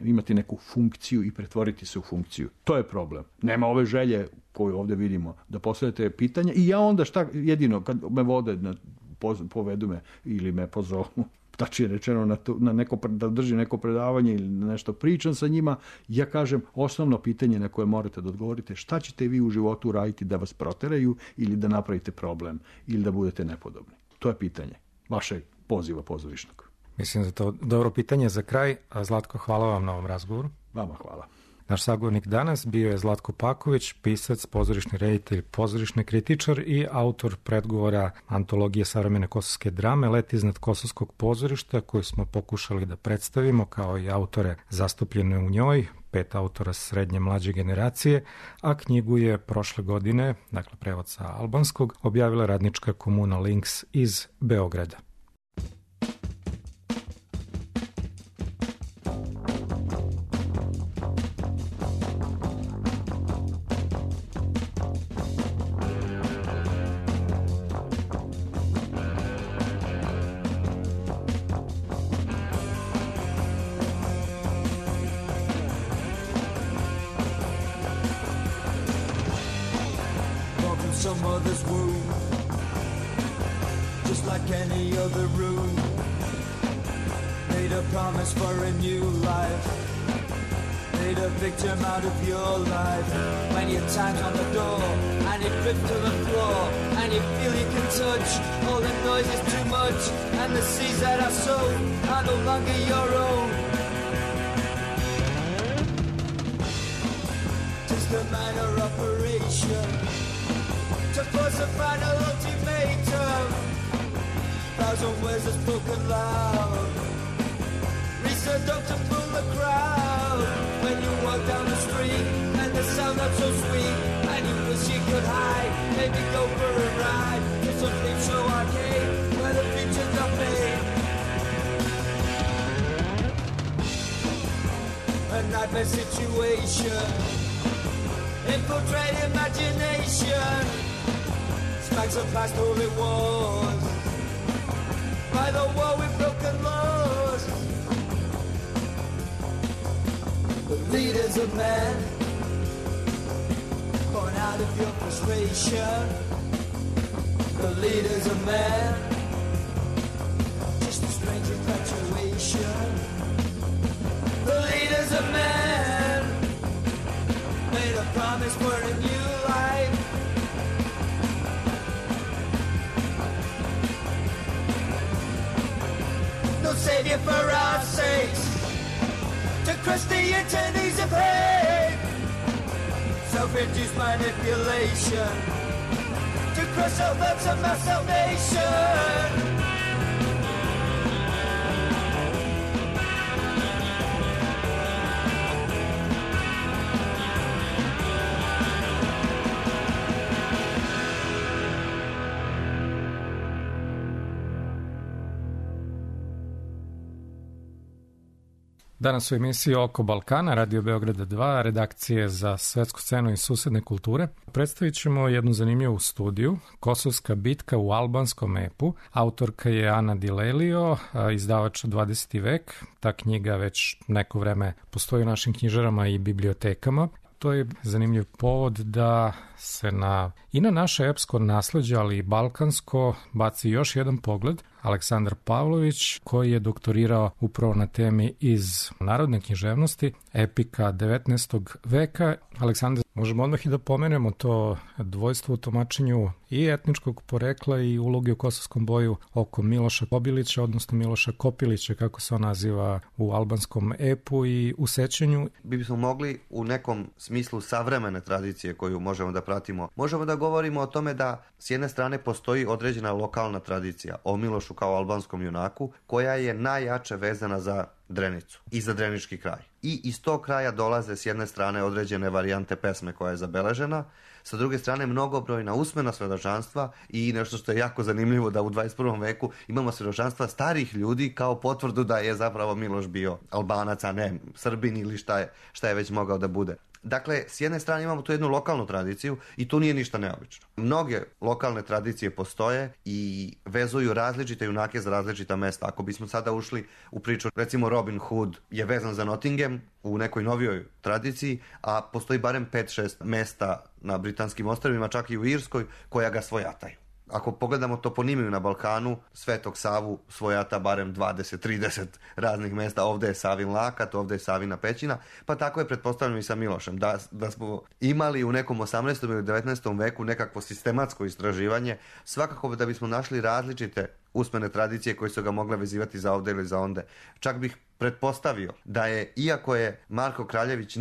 imati neku funkciju i pretvoriti se u funkciju. To je problem. Nema ove želje koju ovdje vidimo, da postavljate pitanja i ja onda jedino, kad me vode, povedu me ili me pozovu, tačnije rečeno da držim neko predavanje ili nešto pričam sa njima, ja kažem osnovno pitanje na koje morate da odgovorite, šta ćete vi u životu raditi da vas proteraju ili da napravite problem ili da budete nepodobni. To je pitanje vašeg poziva pozorišnog. Mislim da je to dobro pitanje za kraj. Zlatko, hvala vam na ovom razgovoru. Vama hvala. Naš sagovornik danas bio je Zlatko Paković, pisac, pozorišni reditelj, pozorišni kritičar i autor predgovora antologije savremene kosovske drame Let iznad kosovskog pozorišta, koju smo pokušali da predstavimo kao i autore zastupljene u njoj, 5 autora srednje mlađe generacije, a knjigu je prošle godine, dakle prevod sa albanskog, objavila radnička komuna Links iz Beograda. Some other's wound, just like any other room. Made a promise for a new life, made a victim out of your life. When your time's on the door and it drips to the floor and you feel you can touch, all the noise is too much and the seas that are sown are no longer your own. Just a minor operation to force a final ultimatum. Thousand words are spoken loud, reach the door to fool the crowd. When you walk down the street and the sound not so sweet, and you wish you could hide, maybe go for a ride to some flame show arcade where the future's are made. A nightmare situation, infiltrate imagination. Smacks of past holy wars, by the war with broken laws. The leader's a man, born out of your frustration. The leader's a man, just a strange infatuation. The leader's a man, made a promise for a new life. No savior for our sakes, to crush the eternities of hate. Self-induced manipulation, to crush all thoughts of my salvation. Danas u emisiji Oko Balkana, Radio Beograda 2, redakcije za svetsku scenu i susedne kulture, predstavit ćemo jednu zanimljivu studiju, Kosovska bitka u albanskom epu. Autorka je Ana Dilelio, izdavač 20. vek. Ta knjiga već neko vreme postoji u našim knjižarama i bibliotekama. To je zanimljiv povod da se i na naše epsko nasleđe, ali i balkansko, baci još jedan pogled. Aleksandar Pavlović, koji je doktorirao upravo na temi iz narodne književnosti, epika 19. veka. Aleksandar, možemo odmah i da pomenemo to dvojstvo u tumačenju i etničkog porekla i uloge u kosovskom boju oko Miloša Kobilića, odnosno Miloša Kopilića, kako se on naziva u albanskom epu i u sećanju. Bismo mogli u nekom smislu savremene tradicije koju možemo da pratimo. Možemo da govorimo o tome da s jedne strane postoji određena lokalna tradicija o Milošu kao albanskom junaku, koja je najjače vezana za Drenicu i za drenički kraj. I iz tog kraja dolaze s jedne strane određene varijante pesme koja je zabeležena, sa druge strane mnogobrojna usmena svedočanstva i nešto što je jako zanimljivo da u 21. veku imamo svedočanstva starih ljudi kao potvrdu da je zapravo Miloš bio Albanac, a ne Srbin ili šta je već mogao da bude. Dakle, s jedne strane imamo tu jednu lokalnu tradiciju i tu nije ništa neobično. Mnoge lokalne tradicije postoje i vezuju različite junake za različita mesta. Ako bismo sada ušli u priču, recimo Robin Hood je vezan za Nottingham u nekoj novijoj tradiciji, a postoji barem 5-6 mesta na Britanskim ostrvima, čak i u Irskoj, koja ga svojataju. Ako pogledamo toponimiju na Balkanu, Svetog Savu svojata barem 20-30 raznih mesta. Ovdje je Savin Lakat, ovdje je Savina Pećina, pa tako je pretpostavljeno i sa Milošem. Da smo imali u nekom 18. ili 19. veku nekakvo sistematsko istraživanje, svakako da bismo našli različite usmene tradicije koje su ga mogle vezivati za ovdje ili za onde. Čak bih pretpostavio da je, iako je Marko Kraljević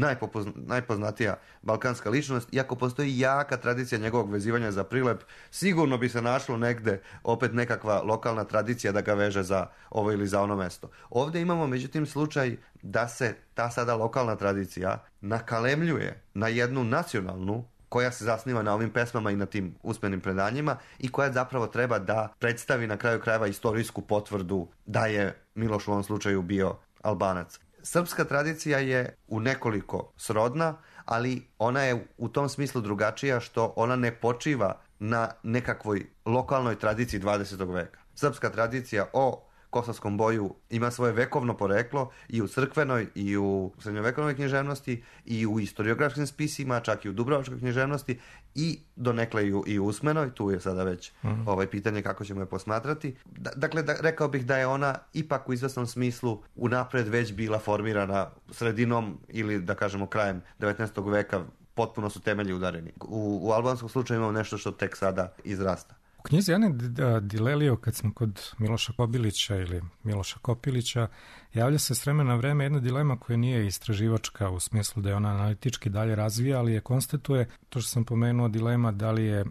najpoznatija balkanska ličnost, iako postoji jaka tradicija njegovog vezivanja za Prilep, sigurno bi se našlo negde opet nekakva lokalna tradicija da ga veže za ovo ili za ono mesto. Ovdje imamo međutim slučaj da se ta sada lokalna tradicija nakalemljuje na jednu nacionalnu koja se zasniva na ovim pesmama i na tim usmenim predanjima i koja zapravo treba da predstavi na kraju krajeva istorijsku potvrdu da je Miloš u ovom slučaju bio Albanac. Srpska tradicija je u nekoliko srodna, ali ona je u tom smislu drugačija što ona ne počiva na nekakvoj lokalnoj tradiciji 20. veka. Srpska tradicija o kosovskom boju ima svoje vekovno poreklo i u crkvenoj i u srednjovekovnoj književnosti i u historiografskim spisima, čak i u dubrovačkoj književnosti i donekle i u usmenoj. Tu je sada već pitanje kako ćemo je posmatrati. Dakle, rekao bih da je ona ipak u izvesnom smislu unapred već bila formirana sredinom ili da kažemo krajem 19. veka, potpuno su temelji udareni. U albanskom slučaju imamo nešto što tek sada izrasta. U knjizi Ane Dilelio, kad smo kod Miloša Kobilića ili Miloša Kopilića, javlja se s vremena na vreme jedna dilema koja nije istraživačka u smislu da je ona analitički dalje razvija, ali je konstatuje, to što sam pomenuo, dilema da li je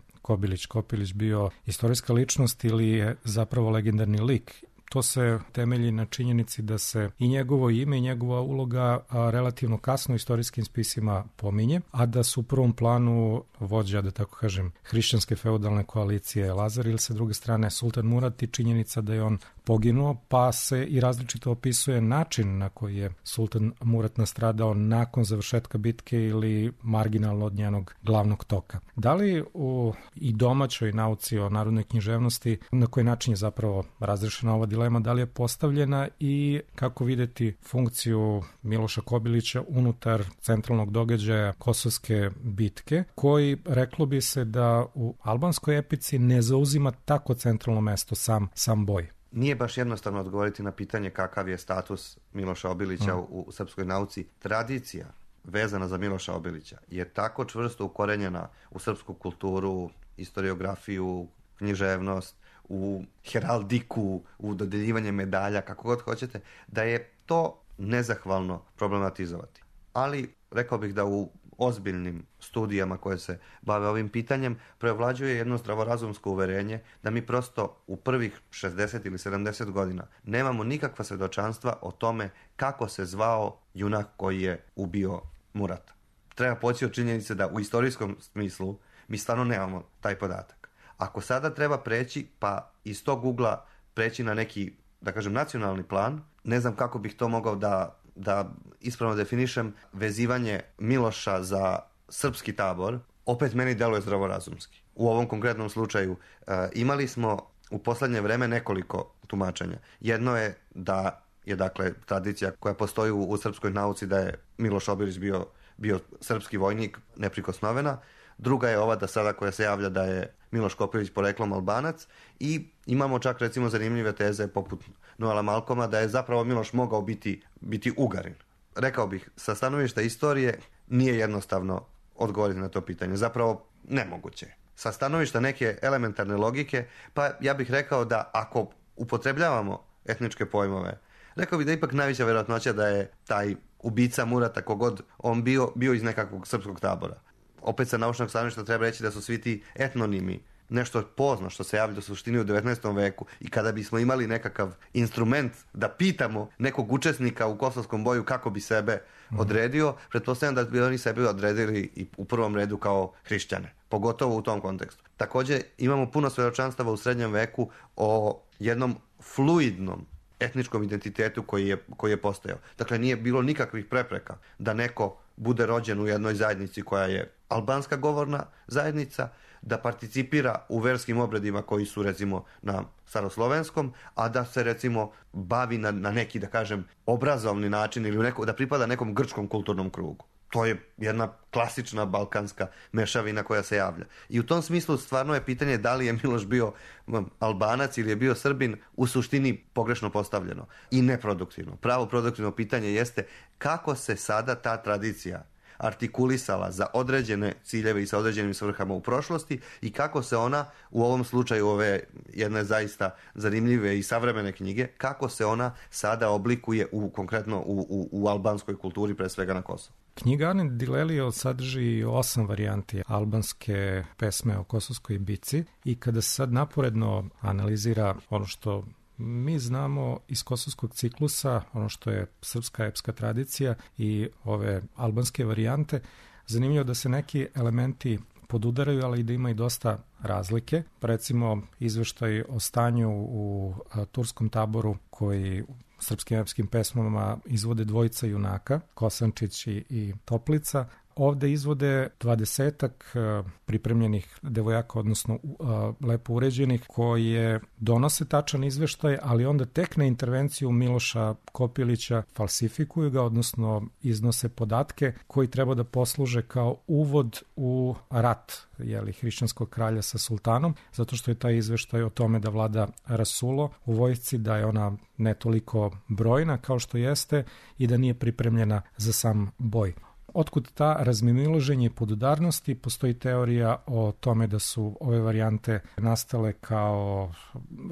Kopilić bio istorijska ličnost ili je zapravo legendarni lik. To se temelji na činjenici da se i njegovo ime i njegova uloga relativno kasno u istorijskim spisima pominje, a da su u prvom planu vođa, da tako kažem, hrišćanske feudalne koalicije Lazar ili sa druge strane Sultan Murat i činjenica da je on poginuo, pa se i različito opisuje način na koji je Sultan Murat nastradao nakon završetka bitke ili marginalno od njenog glavnog toka. Da li u i domaćoj nauci o narodnoj književnosti na koji način je zapravo razrešena ova dilema, da li je postavljena i kako videti funkciju Miloša Kobilića unutar centralnog događaja Kosovske bitke, koji reklo bi se da u albanskoj epici ne zauzima tako centralno mesto sam boj? Nije baš jednostavno odgovoriti na pitanje kakav je status Miloša Obilića u srpskoj nauci. Tradicija vezana za Miloša Obilića je tako čvrsto ukorenjena u srpsku kulturu, historiografiju, književnost, u heraldiku, u dodeljivanje medalja, kako god hoćete, da je to nezahvalno problematizovati. Ali rekao bih da u ozbiljnim studijama koje se bave ovim pitanjem preovlađuje jedno zdravorazumsko uverenje da mi prosto u prvih 60 ili 70 godina nemamo nikakva svedočanstva o tome kako se zvao junak koji je ubio Murata. Treba poći od činjenice da u istorijskom smislu mi stvarno nemamo taj podatak. Ako sada treba preći, pa iz tog ugla preći na neki, da kažem, nacionalni plan, ne znam kako bih to mogao da da ispravno definišem, vezivanje Miloša za srpski tabor, opet meni deluje zdravorazumski. U ovom konkretnom slučaju imali smo u poslednje vreme nekoliko tumačenja. Jedno je da je dakle tradicija koja postoji u srpskoj nauci da je Miloš Obilić bio srpski vojnik neprikosnovena. Druga je ova da sada koja se javlja da je Miloš Kopilić poreklom Albanac i imamo čak recimo zanimljive teze poput Noela Malkoma da je zapravo Miloš mogao biti Ugarin. Rekao bih, sa stanovišta istorije nije jednostavno odgovoriti na to pitanje. Zapravo nemoguće. Sa stanovišta neke elementarne logike, pa ja bih rekao da ako upotrebljavamo etničke pojmove, rekao bih da ipak najveća vjerojatnoća da je taj ubica Murata, kogod on bio iz nekakvog srpskog tabora. Opet sa naučnog stanovišta treba reći da su svi ti etnonimi nešto pozno što se javlja u suštini u 19. veku i kada bismo imali nekakav instrument da pitamo nekog učesnika u kosovskom boju kako bi sebe odredio, pretpostavljam da bi oni sebe odredili i u prvom redu kao hrišćane, pogotovo u tom kontekstu. Također imamo puno svedočanstava u srednjem veku o jednom fluidnom etničkom identitetu koji je postojao. Dakle, nije bilo nikakvih prepreka da neko bude rođen u jednoj zajednici koja je albanska govorna zajednica, da participira u verskim obredima koji su recimo na staroslovenskom, a da se recimo bavi na neki, da kažem, obrazovni način ili da pripada nekom grčkom kulturnom krugu. To je jedna klasična balkanska mešavina koja se javlja. I u tom smislu stvarno je pitanje da li je Miloš bio Albanac ili je bio Srbin u suštini pogrešno postavljeno i neproduktivno. Pravo produktivno pitanje jeste kako se sada ta tradicija artikulisala za određene ciljeve i sa određenim svrhama u prošlosti i kako se ona u ovom slučaju ove jedne zaista zanimljive i savremene knjige, kako se ona sada oblikuje konkretno u albanskoj kulturi, pre svega na Kosovu. Knjiga Ane Dilelio sadrži 8 varijanti albanske pesme o kosovskoj bici i kada se sad naporedno analizira ono što mi znamo iz kosovskog ciklusa, ono što je srpska epska tradicija i ove albanske varijante, zanimljivo da se neki elementi podudaraju, ali i da ima i dosta razlike. Recimo, izveštaj o stanju u turskom taboru koji srpskim epskim pesmama izvode dvojica junaka, Kosančić i Toplica. Ovde izvode 20-ak pripremljenih devojaka, odnosno lepo uređenih, koje donose tačan izveštaj, ali onda tek na intervenciju Miloša Kopilića falsifikuju ga, odnosno iznose podatke koji treba da posluže kao uvod u rat hrišćanskog kralja sa sultanom, zato što je taj izveštaj o tome da vlada rasulo u vojsci, da je ona ne toliko brojna kao što jeste i da nije pripremljena za sam boj. Otkud ta razmimoilaženje i podudarnosti? Postoji teorija o tome da su ove varijante nastale kao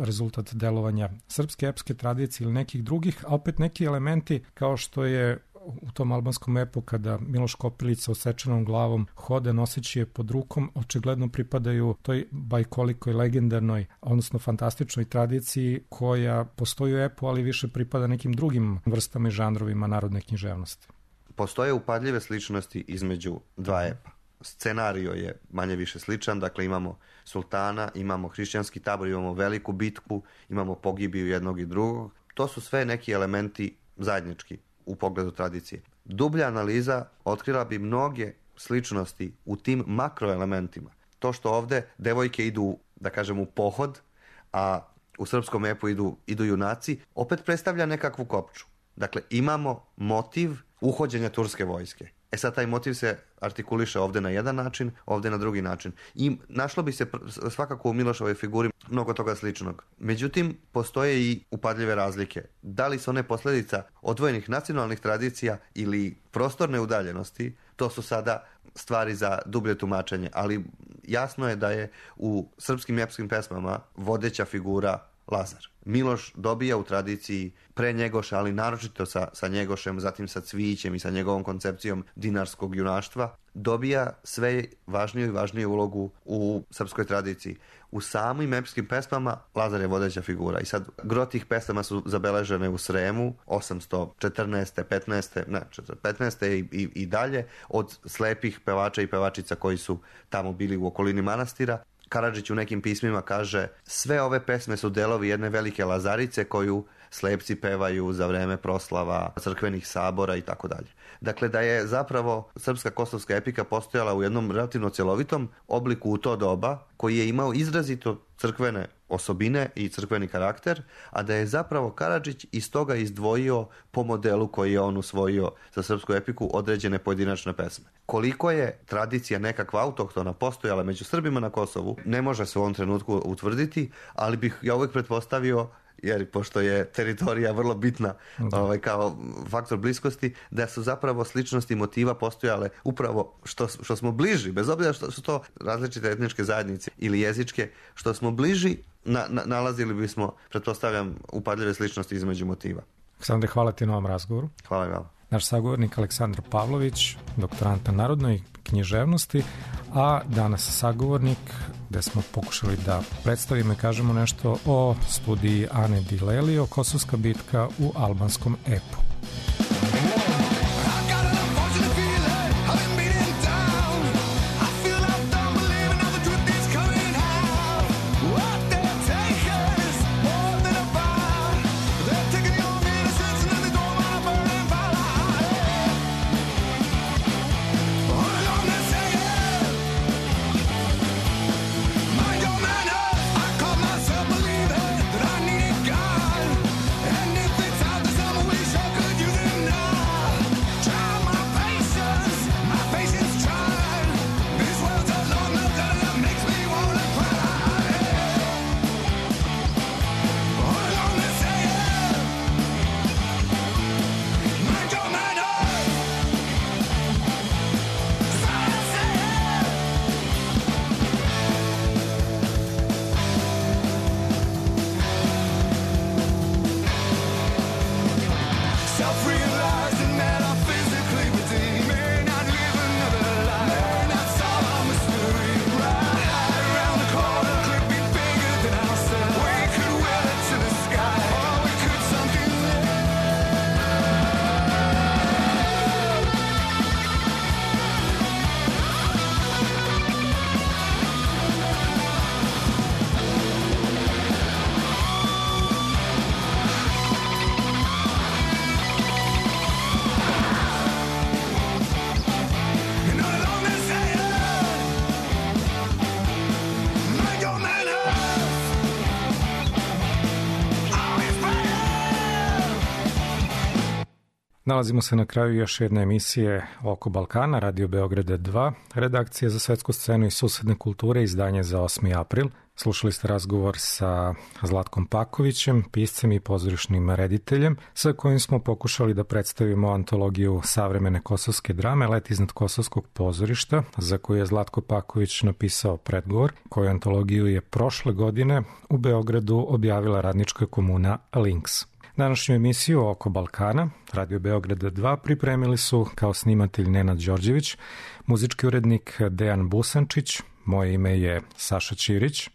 rezultat delovanja srpske epske tradicije ili nekih drugih, a opet neki elementi kao što je u tom albanskom epu kada Miloš Kopilić sa osečenom glavom hode noseći je pod rukom, očigledno pripadaju toj bajkolikoj, legendarnoj, odnosno fantastičnoj tradiciji koja postoji u epu, ali više pripada nekim drugim vrstama i žanrovima narodne književnosti. Postoje upadljive sličnosti između dva epa. Scenario je manje više sličan, dakle imamo sultana, imamo hrišćanski tabor, imamo veliku bitku, imamo pogibiju jednog i drugog. To su sve neki elementi zajednički u pogledu tradicije. Dublja analiza otkrila bi mnoge sličnosti u tim makroelementima. To što ovde devojke idu, da kažem, u pohod, a u srpskom epu idu junaci, opet predstavlja nekakvu kopču. Dakle, imamo motiv uhođenja turske vojske. Sad taj motiv se artikuliše ovde na jedan način, ovde na drugi način. I našlo bi se svakako u Milošovoj figuri mnogo toga sličnog. Međutim, postoje i upadljive razlike. Da li su one posljedica odvojenih nacionalnih tradicija ili prostorne udaljenosti, to su sada stvari za dublje tumačenje. Ali jasno je da je u srpskim epskim pesmama vodeća figura Lazar. Miloš dobija u tradiciji pre Njegoša, ali naročito sa Njegošem, zatim sa Cvijićem i sa njegovom koncepcijom dinarskog junaštva, dobija sve važniju i važniju ulogu u srpskoj tradiciji. U samim epskim pesmama Lazar je vodeća figura i sad gro tih pesama su zabeležene u Sremu 814. 15. i dalje od slepih pevača i pevačica koji su tamo bili u okolini manastira. Karadžić u nekim pismima kaže sve ove pesme su delovi jedne velike lazarice koju slepci pevaju za vreme proslava crkvenih sabora i tako dalje. Dakle, da je zapravo srpska kosovska epika postojala u jednom relativno cjelovitom obliku u to doba, koji je imao izrazito crkvene osobine i crkveni karakter, a da je zapravo Karadžić iz toga izdvojio po modelu koji je on usvojio za srpsku epiku određene pojedinačne pesme. Koliko je tradicija nekakva autohtona postojala među Srbima na Kosovu, ne može se u ovom trenutku utvrditi, ali bih ja uvijek pretpostavio, jer pošto je teritorija vrlo bitna kao faktor bliskosti, da su zapravo sličnosti motiva postojale upravo što smo bliži, bez obzira što su to različite etničke zajednice ili jezičke, što smo bliži, nalazili bismo, pretpostavljam, upadljive sličnosti između motiva. Aleksandre, hvala ti na ovom razgovoru. Hvala i vama. Naš sagovornik Aleksandar Pavlović, doktorant na narodnoj književnosti, a danas sagovornik gde smo pokušali da predstavimo i kažemo nešto o studiji Ane Dilelio, Kosovska bitka u albanskom epu. Nalazimo se na kraju još jedne emisije Oko Balkana, Radio Beograda 2, redakcija za svetsku scenu i susedne kulture, izdanje za 8. april. Slušali ste razgovor sa Zlatkom Pakovićem, piscem i pozorišnim rediteljem, sa kojim smo pokušali da predstavimo antologiju savremene kosovske drame Let iznad kosovskog pozorišta, za koju je Zlatko Paković napisao predgovor, koju antologiju je prošle godine u Beogradu objavila radnička komuna Links. Današnju emisiju Oko Balkana, Radio Beograda 2, pripremili su kao snimatelj Nenad Đorđević, muzički urednik Dejan Busančić, moje ime je Saša Ćirić.